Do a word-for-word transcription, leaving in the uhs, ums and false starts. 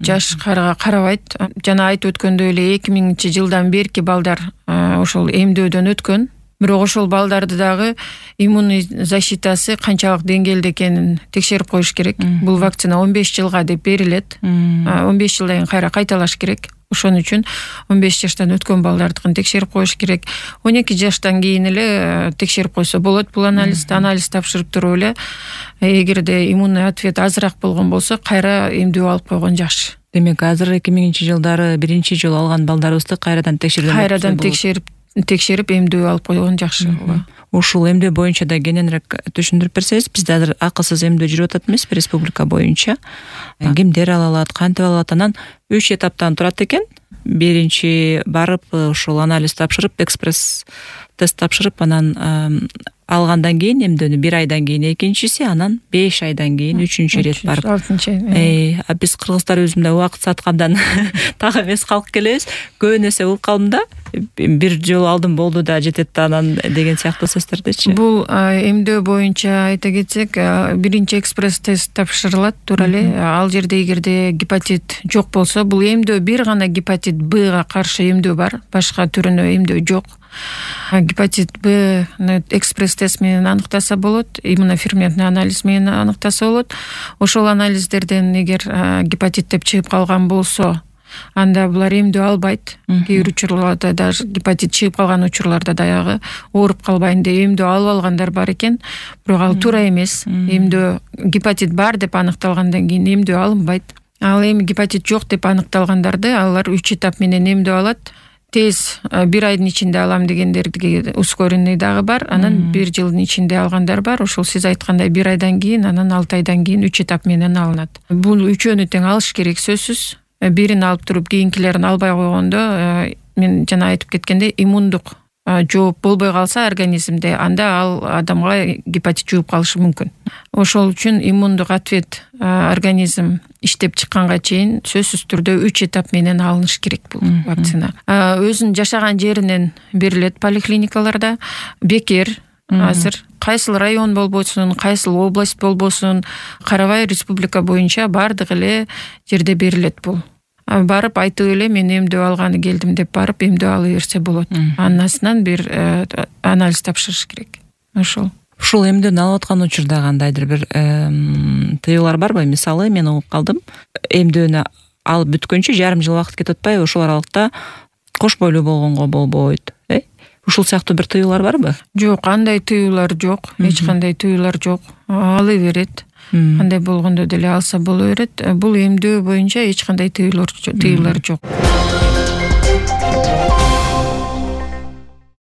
жашка карабайт. Жана айтып өткөндөй эле эки миңинчи жылдан берки балдар ошол эмдөөдөн өткөн. Бирок ошол балдарды дагы иммунный защитасы канчалык деңгээлде экенин текшерип коюш керек. Бул вакцина он беш жылга деп берилет. он беш жылдан кийин кайра кайталаш керек. Ошон үчүн он беш жаштан өткөн балдардыкын текшерип коюш керек. он эки жаштан кийин эле текшерип койсо болот. Бул анализди анализ тапшырып туруп эле эгерде иммунный ответ азыраак болгон болсо кайра эмдөө алып койгон жакшы. Демек азыр эки миңинчи жылдары биринчи жолу алган балдарыбызды кайрадан текшерген кайрадан текшерип текшерип эмдөө алып койгон жакшы. Ушул эмдөө боюнча да кененирээк түшүндүрүп берсеңиз, бизде азыр акысыз эмдөө жүрүп атат эмеспи республика боюнча? Кимдер ала алат, кантип ала алат? Анан үч этаптан турат экен. Биринчи барып ушул анализ тапшырып, экспресс тест тапшырып, анан алгандан кийин эмдөөнү бир айдан кийин экинчиси, анан беш айдан кийин үчүнчү ирет барып. Э, биз кыргыздар өзүмдө убакыт саткандан так эмес калк келебиз. Көбүн эсе уккалым да, бир жолу алдым болду да жетет да анан деген сыяктуу сөздөрдөчү. Бул эмдөө боюнча айта кетсек, биринчи экспресс тест тапшырылат туура эле. Ал жерде эгерде гепатит жок болсо, бул эмдөө бир гана гепатит Б-га каршы эмдөө бар, башка түрүнө эмдөө жок. Гепатит Б экспресс тест менен аныктаса болот, иммуноферментный анализ менен аныктаса болот. Ошол анализдерден эгер гепатит деп чыгып калган болсо, анда булар эмдөө албайт. Кээ бир учурларда даже гепатит чыгып калган учурларда дагы ооруп калбайын деп эмдөө алып алгандар бар экен. Бирок ал туура эмес. Эмдөө гепатит бар деп аныкталгандан кийин эмдөө алынбайт. Ал эми гепатит жок деп аныкталгандарды алар үч этап менен эмдөө алат. Тез бир айдын ичинде алам дегендерге ускоренный дагы бар. Анан бир жылдын ичинде алгандар бар. Ошол сиз айткандай бир айдан кийин, анан алты айдан кийин үч этап менен алынат. Бул үчөөнү тең алыш керек сөзсүз. Бирин алып туруп кийинкилерин албай койгондо, мен жана айтып кеткендей, иммундук жооп болбой калса организмде, анда ал адамга гепатит жугуп калышы мүмкүн. Ошол үчүн иммундук ответ организм иштеп чыкканга чейин сөзсүз түрдө үч этап менен алыныш керек бул вакцина. Өзүнүн жашаган жеринен берилет поликлиникаларда. Бекер азыр кайсыл район болбосун, кайсыл область болбосун, карабай республика боюнча бардык эле жерде берилет бул. Барып айтып эле мен эмдөө алганы келдим деп барып эмдөө ала берсе болот. Андан астынан бир анализ тапшырыш керек. Ошол. Ушул эмдөөнү алып аткан учурда кандайдыр бир тыюулар барбы? Мисалы, мен угуп калдым. Эмдөөнү алып бүткөнчө жарым жыл убакыт кетип атпайбы? Ошол аралыкта кош бойлуу болгонго болбойт. Э? Ушул сыяктуу бир тыюулар барбы? Жок, андай тыюулар жок. Эч кандай тыюулар жок. Ала берет. Кандай болгондо деле алса боло берет. Бул эмдөө боюнча эч кандай тыюулар тыюулар жок.